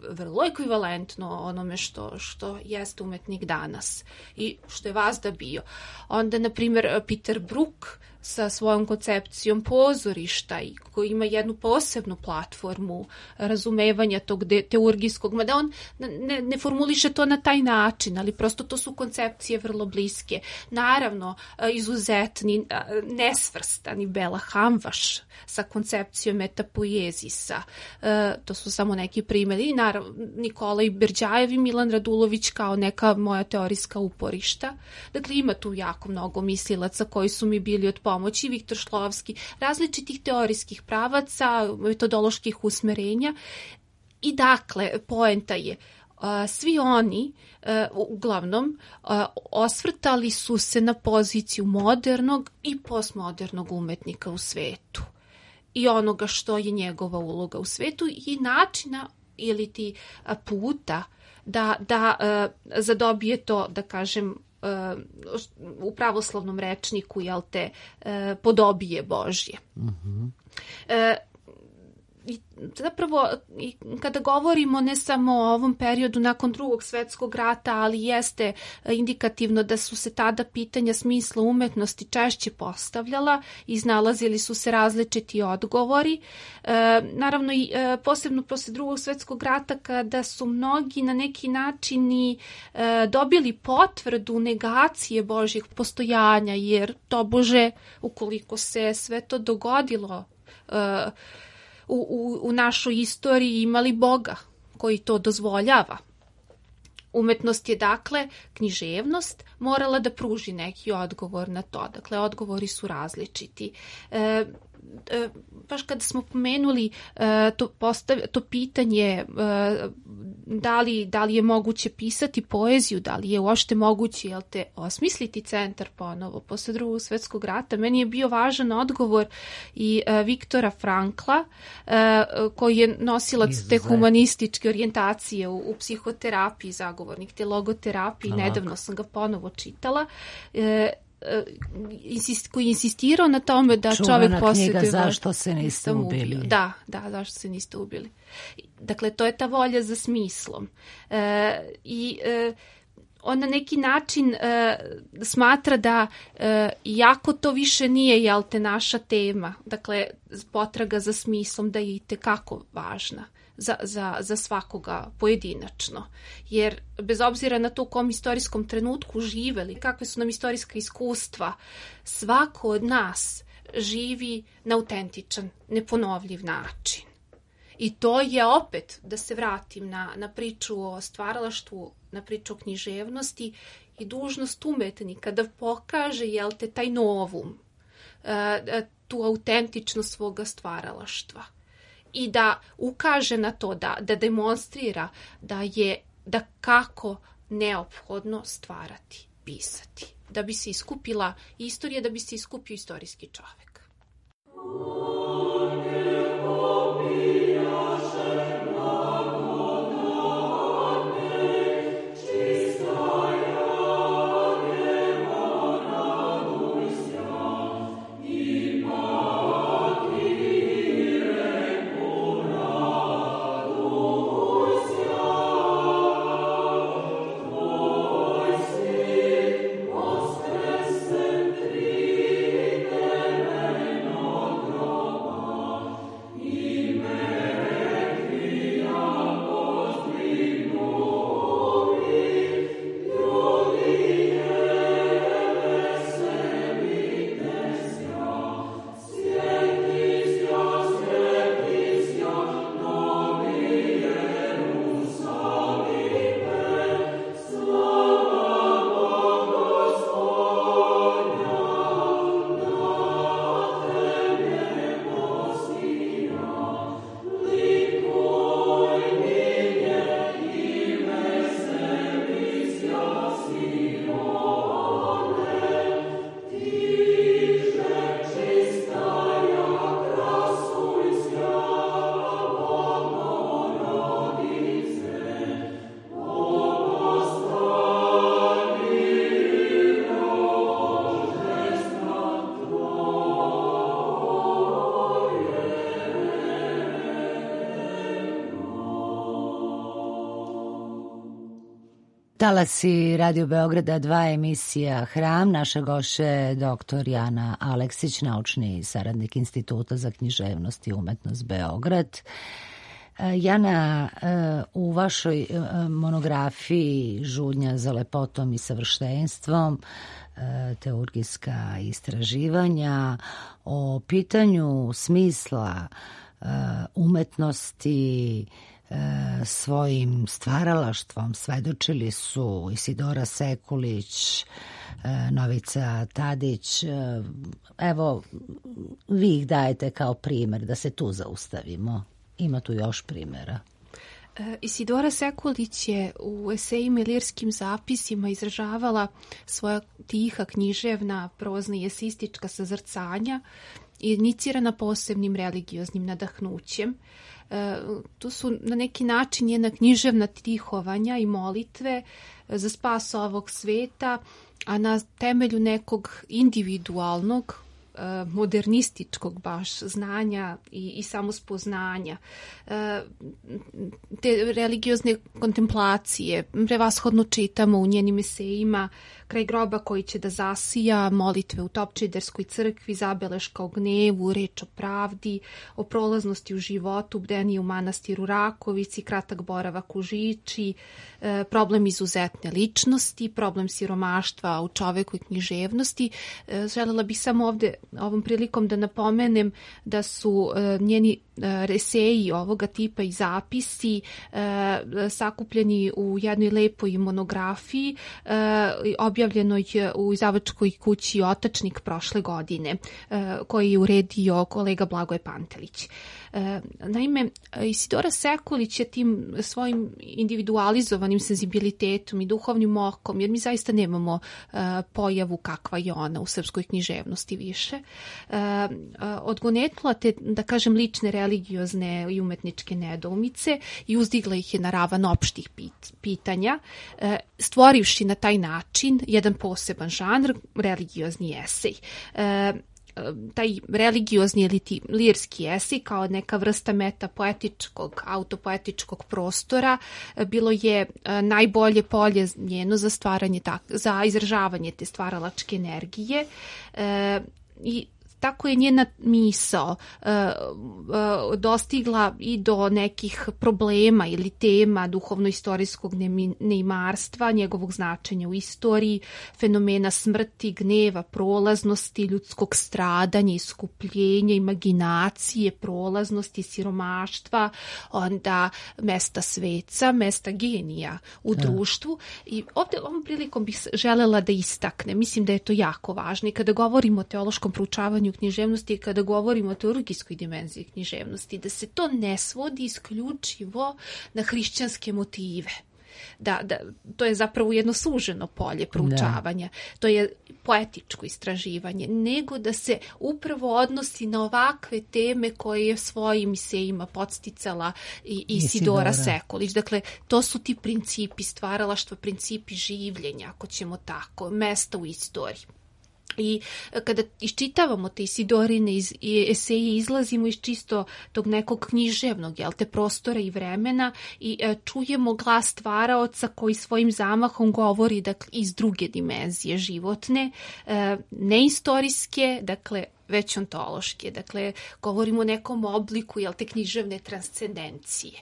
vrlo ekvivalentno onome što jeste umetnik danas i što je vazda bio. Onda, na primjer, Peter Brook sa svojom koncepcijom pozorišta i koji ima jednu posebnu platformu razumevanja tog teurgijskog, mada on ne formuliše to na taj način, ali prosto to su koncepcije vrlo bliske. Naravno, izuzetni, nesvrstani Bela Hamvaš sa koncepcijom metapoezisa. To su samo neki primjeri. Naravno, Nikolaj Berđajev i Milan Radulović kao neka moja teorijska uporišta. Dakle, ima tu jako mnogo mislilaca koji su mi bili od pomoći, Viktor Šklovski, različitih teorijskih pravaca, metodoloških usmerenja. I dakle, poenta je, svi oni uglavnom osvrtali su se na poziciju modernog i postmodernog umetnika u svetu i onoga što je njegova uloga u svetu i načina ili ti puta da zadobije to, da kažem, u pravoslavnom rečniku, podobije Božje. Zapravo, kada govorimo ne samo o ovom periodu nakon Drugog svjetskog rata, ali jeste indikativno da su se tada pitanja smisla umetnosti češće postavljala, iznalazili su se različiti odgovori. Naravno, i posebno posle Drugog svjetskog rata, kada su mnogi na neki način i dobili potvrdu negacije Božjeg postojanja, jer tobože, ukoliko se sve to dogodilo u našoj istoriji, imali Boga koji to dozvoljava. Umetnost je, dakle, književnost morala da pruži neki odgovor na to. Dakle, odgovori su različiti. Baš kada smo pomenuli to pitanje da li je moguće pisati poeziju, da li je uopšte moguće osmisliti centar ponovo posle Drugog svjetskog rata, meni je bio važan odgovor i Viktora Frankla, koji je nosilac te humanističke orijentacije u psihoterapiji, zagovornik te logoterapije. Nedavno sam ga ponovo čitala. koji je insistirao na tome da čovjek posjeduje... Čuvana knjiga Zašto se niste ubili. Da, Zašto se niste ubili. Dakle, to je ta volja za smislom. On na neki način smatra da iako to više nije naša tema, dakle potraga za smislom, da je itekako važna za svakoga pojedinačno. Jer bez obzira na to u kom istorijskom trenutku živeli, kakve su nam istorijska iskustva, svako od nas živi na autentičan, neponovljiv način. I to je opet, da se vratim na priču o stvaralaštvu, na priču o književnosti i dužnost umetnika da pokaže, taj novum, tu autentičnost svoga stvaralaštva i da ukaže na to, da demonstrira da kako neophodno stvarati, pisati, da bi se iskupila istorija, da bi se iskupio istorijski čovek. Talasi Radio Beograda 2, emisija Hram. Naša gošća je dr. Jana Aleksić, naučni saradnik Instituta za književnost i umetnost Beograd. Jana, u vašoj monografiji Žudnja za lepotom i savršenstvom, teurgijska istraživanja o pitanju smisla umetnosti, svojim stvaralaštvom svedočili su Isidora Sekulić, Novica Tadić. Evo, vi ih dajete kao primjer, da se tu zaustavimo. Ima tu još primjera. Isidora Sekulić je u esejima i lirskim zapisima izražavala svoja tiha, književna, prozna i esejistička sazrcanja, inicirana posebnim religioznim nadahnućem. Tu su na neki način njena književna tihovanja i molitve za spas ovog sveta, a na temelju nekog individualnog, modernističkog baš znanja i samospoznanja. Te religiozne kontemplacije prevashodno čitamo u njenim esejima Kraj groba koji će da zasija, molitve u Topčiderskoj crkvi, zabeleška o gnevu, reč o pravdi, o prolaznosti u životu, bdenije u manastiru Rakovici, kratak boravak u Žiči, problem izuzetne ličnosti, problem siromaštva u čoveku i književnosti. Želela bih samo ovde ovom prilikom da napomenem da su njeni eseji ovoga tipa i zapisi sakupljeni u jednoj lepoj monografiji objavljenoj u izdavačkoj kući Otačnik prošle godine, koji je uredio kolega Blagoje Pantelić. Naime, Isidora Sekulić je tim svojim individualizovanim senzibilitetom i duhovnim okom, jer mi zaista nemamo pojavu kakva je ona u srpskoj književnosti više, odgonetnula te, da kažem, lične religiozne i umetničke nedoumice i uzdigla ih je na ravan opštih pitanja, stvorivši na taj način jedan poseban žanr, religiozni esej. Taj religiozni ili lirski esej kao neka vrsta metapoetičkog, autopoetičkog prostora bilo je najbolje polje njeno za stvaranje, za izražavanje te stvaralačke energije i tako je njena misao dostigla i do nekih problema ili tema duhovno-istorijskog neimarstva, njegovog značenja u istoriji, fenomena smrti, gneva, prolaznosti, ljudskog stradanja, iskupljenja, imaginacije, prolaznosti, siromaštva, onda mesta sveca, mesta genija u društvu. I ovdje ovom prilikom bih želela da istaknem, mislim da je to jako važno i kada govorimo o teološkom proučavanju književnosti i kada govorimo o teologijskoj dimenziji književnosti, da se to ne svodi isključivo na hrišćanske motive. Da, to je zapravo jedno suženo polje proučavanja. To je poetičko istraživanje, nego da se upravo odnosi na ovakve teme koje je svojim esejima podsticala i Isidora Sekulić. Dakle, to su ti principi stvaralaštva, principi življenja, ako ćemo tako, mesta u istoriji. I kada iščitavamo te Isidorine eseje, izlazimo iz čisto tog nekog književnog, te prostora i vremena i čujemo glas stvaraoca koji svojim zamahom govori, dakle, iz druge dimenzije životne, neistorijske, dakle, već ontološke. Dakle, govorimo o nekom obliku, te književne transcendencije.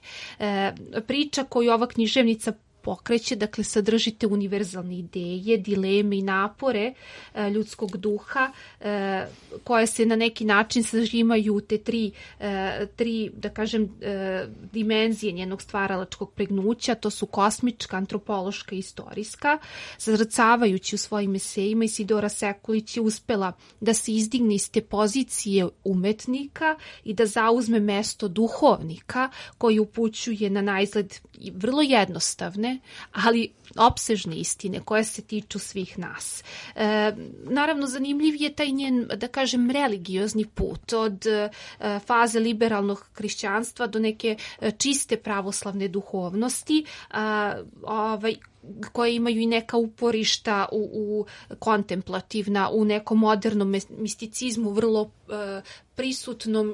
Priča koju ova književnica pokreće, dakle, sadržite univerzalne ideje, dileme i napore ljudskog duha koje se na neki način sažimaju te tri, da kažem, dimenzije njenog stvaralačkog pregnuća, to su kosmička, antropološka i istorijska. Zazrcavajući u svojim esejima, Isidora Sekulić je uspela da se izdigne iz te pozicije umetnika i da zauzme mesto duhovnika koji upućuje na naizgled vrlo jednostavne, ali opsežne istine koje se tiču svih nas. Naravno, zanimljiv je taj njen, da kažem, religiozni put od faze liberalnog hrišćanstva do neke čiste pravoslavne duhovnosti, koje imaju i neka uporišta u kontemplativna, u nekom modernom misticizmu, vrlo prisutnom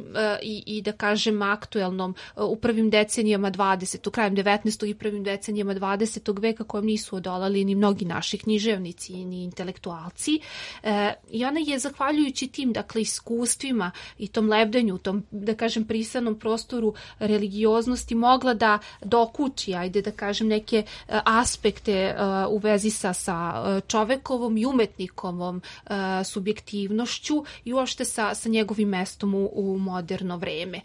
i da kažem aktuelnom u prvim decenijama 20. krajem 19. i prvim decenijama 20. veka, kojem nisu odolali ni mnogi naši književnici ni intelektualci. I ona je, zahvaljujući tim, dakle, iskustvima i tom lebdenju, tom, da kažem, prisanom prostoru religioznosti, mogla da dokuči, da kažem, neke aspekte u vezi sa čovekovom i umetnikovom subjektivnošću i uopšte sa njegovim mestom u moderno vreme.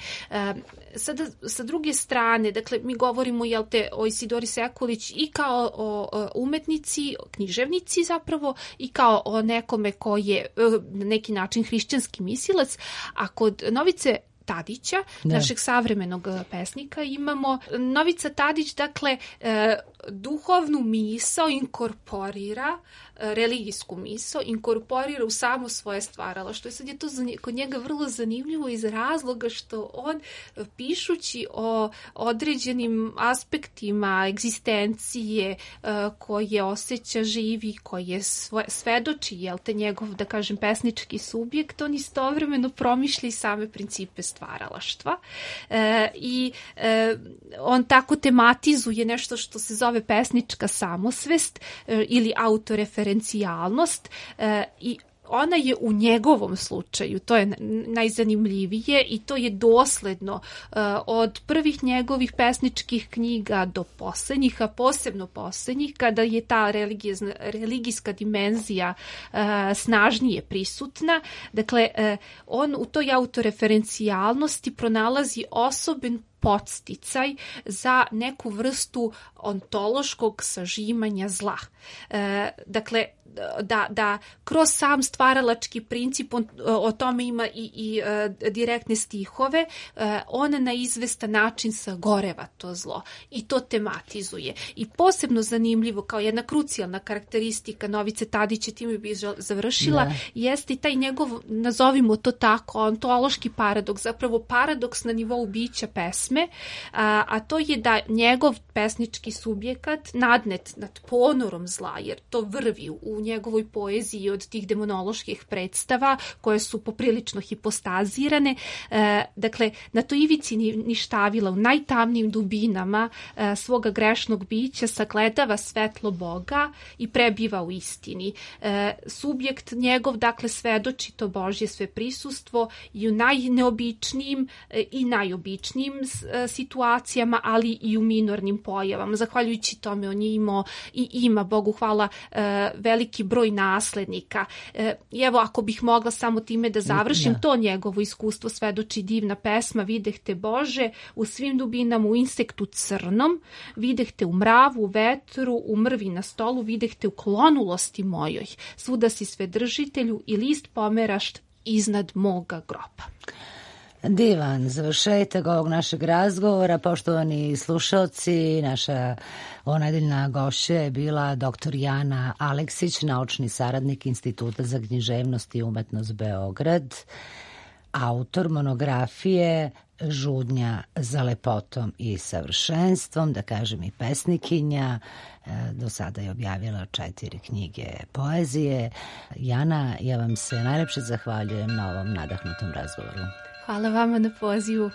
Sada, sa druge strane, dakle, mi govorimo o Isidori Sekulić i kao o umetnici, književnici zapravo, i kao o nekome koji je na neki način hrišćanski mislilac, a kod Novice Tadića, našeg savremenog pesnika, imamo Novica Tadić, dakle, duhovnu misao inkorporira, religijsku misao inkorporira u samo svoje stvaralaštvo. Sad je to kod njega vrlo zanimljivo iz razloga što on, pišući o određenim aspektima egzistencije koje osjeća, živi, koje svedoči, te njegov, da kažem, pesnički subjekt, on istovremeno promišlja i same principe stvaralaštva. I on tako tematizuje nešto što se zove pesnička samosvest ili autoreferencijalnost i ona je u njegovom slučaju, to je najzanimljivije i to je dosledno od prvih njegovih pesničkih knjiga do posljednjih, a posebno posljednjih, kada je ta religijska dimenzija snažnije prisutna. Dakle, on u toj autoreferencijalnosti pronalazi osoben podsticaj za neku vrstu ontološkog sažimanja zla. Dakle, da kroz sam stvaralački princip, o tome ima i direktne stihove, on na izvestan način sagoreva to zlo i to tematizuje. I posebno zanimljivo, kao jedna krucijalna karakteristika Novice Tadića, time bi završila, jeste i taj njegov, nazovimo to tako, ontološki paradoks, zapravo paradoks na nivou bića pesme, a to je da njegov pesnički subjekat nadnet nad ponorom zla, jer to vrvi u njegovoj poeziji od tih demonoloških predstava koje su poprilično hipostazirane. Dakle, na toj ivici ništavila, u najtamnijim dubinama svoga grešnog bića sagledava svetlo Boga i prebiva u istini. Subjekt njegov, dakle, svedoči to Božje sve prisustvo i u najneobičnijim i najobičnijim situacijama, ali i u minornim pojavama. Zahvaljujući tome on je imao i ima, Bogu hvala, veliki broj naslednika. I evo, ako bih mogla samo time da završim, to njegovo iskustvo svedoči divna pesma Videh te Bože u svim dubinama, u insektu crnom, videh te u mravu, u vetru, u mrvi na stolu, videh te u klonulosti mojoj, svuda si svedržitelju i list pomeraš iznad moga groba. Divan završetak ovog našeg razgovora. Poštovani slušalci, naša onedeljna gošća je bila dr. Jana Aleksić, naučni saradnik Instituta za književnost i umetnost Beograd, autor monografije Žudnja za lepotom i savršenstvom, da kažem i pesnikinja. Do sada je objavila 4 knjige poezije. Jana, ja vam se najlepše zahvaljujem na ovom nadahnutom razgovoru. Hvala vama na pozivu.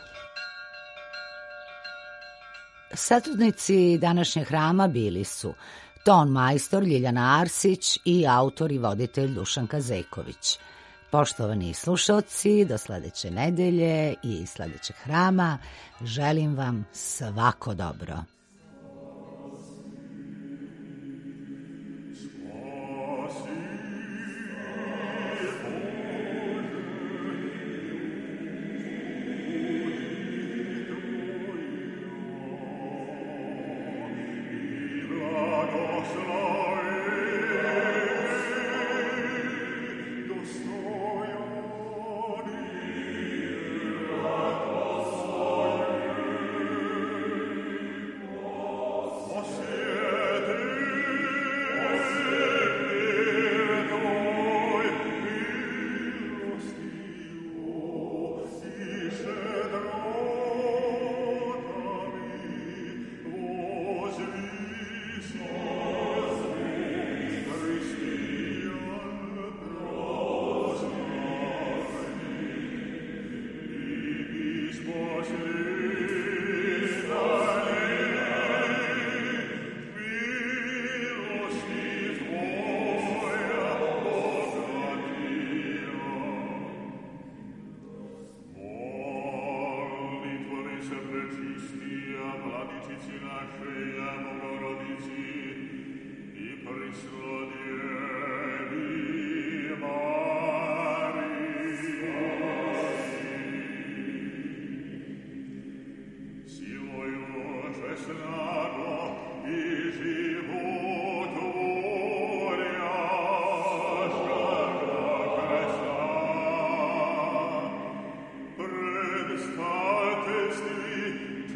Satudnici današnjeg hrama bili su ton majstor Ljiljana Arsić i autor i voditelj Dušanka Zeković. Poštovani slušalci, do sledeće nedelje i sledećeg hrama želim vam svako dobro.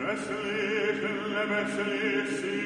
Hässlich, lebenslich, sie